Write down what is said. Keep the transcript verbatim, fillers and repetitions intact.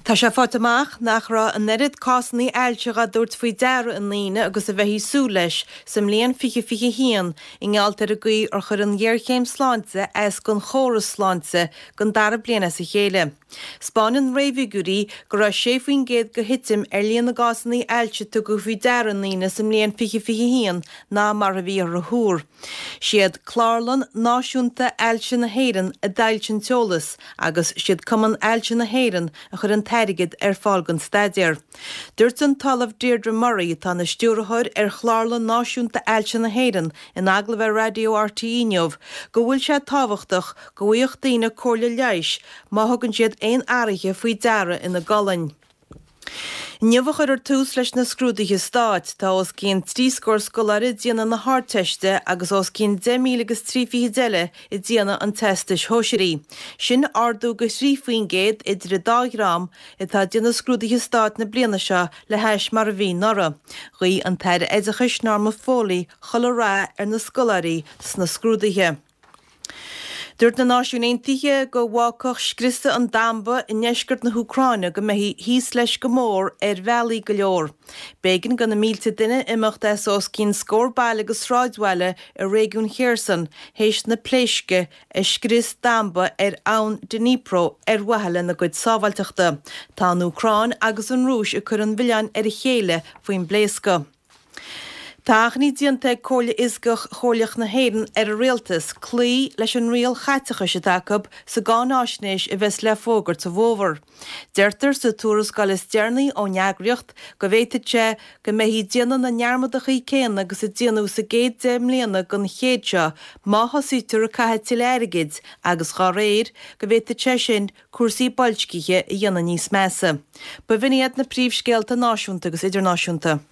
Tá sé faighte amach nach raibh an oiread cásanna ailse á dtabhairt faoi deara i ndaoine agus a bheifí ag súil leis sa mbliain fiche fiche haon i ngeall ar an gcaoi ar chuir an ghéarchéim sláinte as don chóras sláinte don dara bliain as a chéile. 'Spáineann réamhfhigiúirí go raibh sé faoin gcéad de thitim ar líon na gcásanna ailse a tugadh faoi deara i ndaoine sa mbliain fiche fiche haon ná mar a bhíothar a thuar. Siad Clárlann Náisiúnta Ailse na hÉireann a d'fhoilsigh an t-eolas agus siad Cumann Ailse na hÉireann a chuir an t-airgead ar fáil don staidéar. Dúirt an tOllamh Deirdre Murray atá ina stiúrthóir ar Chlárlann Náisiúnta Ailse na hÉireann in agallamh ar Raidió RTÉ inniu go bhfuil sé tábhachtach go bhfaigheadh daoine comhairle leighis má thugann siad aon athruithe faoi deara ina gcolainn. Inniu a chuirfear tús leis na scrúduithe stáit. Tá os cionn trí scór scoláire ag déanamh na hArdteiste agus os cionn deich míle agus trí fichid eile ag déanamh an Teastais Shóisearaigh. Sin ardú de thrí faoin gcéad idir an dá dhream atá ag déanamh scrúduithe stáit na bliana seo le hais mar a bhí anuraidh. Ghuigh an tAire Oideachais Norma Foley chuile rath ar na scoláirí sna scrúduithe. Dúirt na Náisiúin Aontaithe go bhfágfadh scriosadh an damba i ndeisceart na hÚcráine go mbeifí thíos leis go mór ar bhealaí go leor. B'éigean do na mílte duine imeacht as os cionn scór baile agus sráidbhaile i réigiún Kherson théis na pléisce a scrios damba ar abhainn Dnipro ar mhaithe lena gcuid sábháilteachta. Tá an Úcráin agus an Rúis ag cur an mhilleáin ar a chéile faoin bpléascadh. Tá achainí déanta ag Comhairle Fhioscach Chomhairleach na hÉireann ar an Rialtas cloí leis an riail chaiteachais atá acu sa gcáináisnéis a bheas le fógairt sa bhfómhar. Deirtear sa tuarascáil is deireanaí ón eagraíocht go bhféadfadh sé go mbeifí ag déanamh na ndearmadachaí céanna agus a déanadh sa gcéad deich mbliana den chéad seo má thosaítear ag caitheamh tuilleadh airgid agus dá réir go bhféadfadh sé sin cúrsaí boilscithe a dhéanamh níos measa. B'in iad na príomhscéalta náisiúnta agus idirnáisiúnta.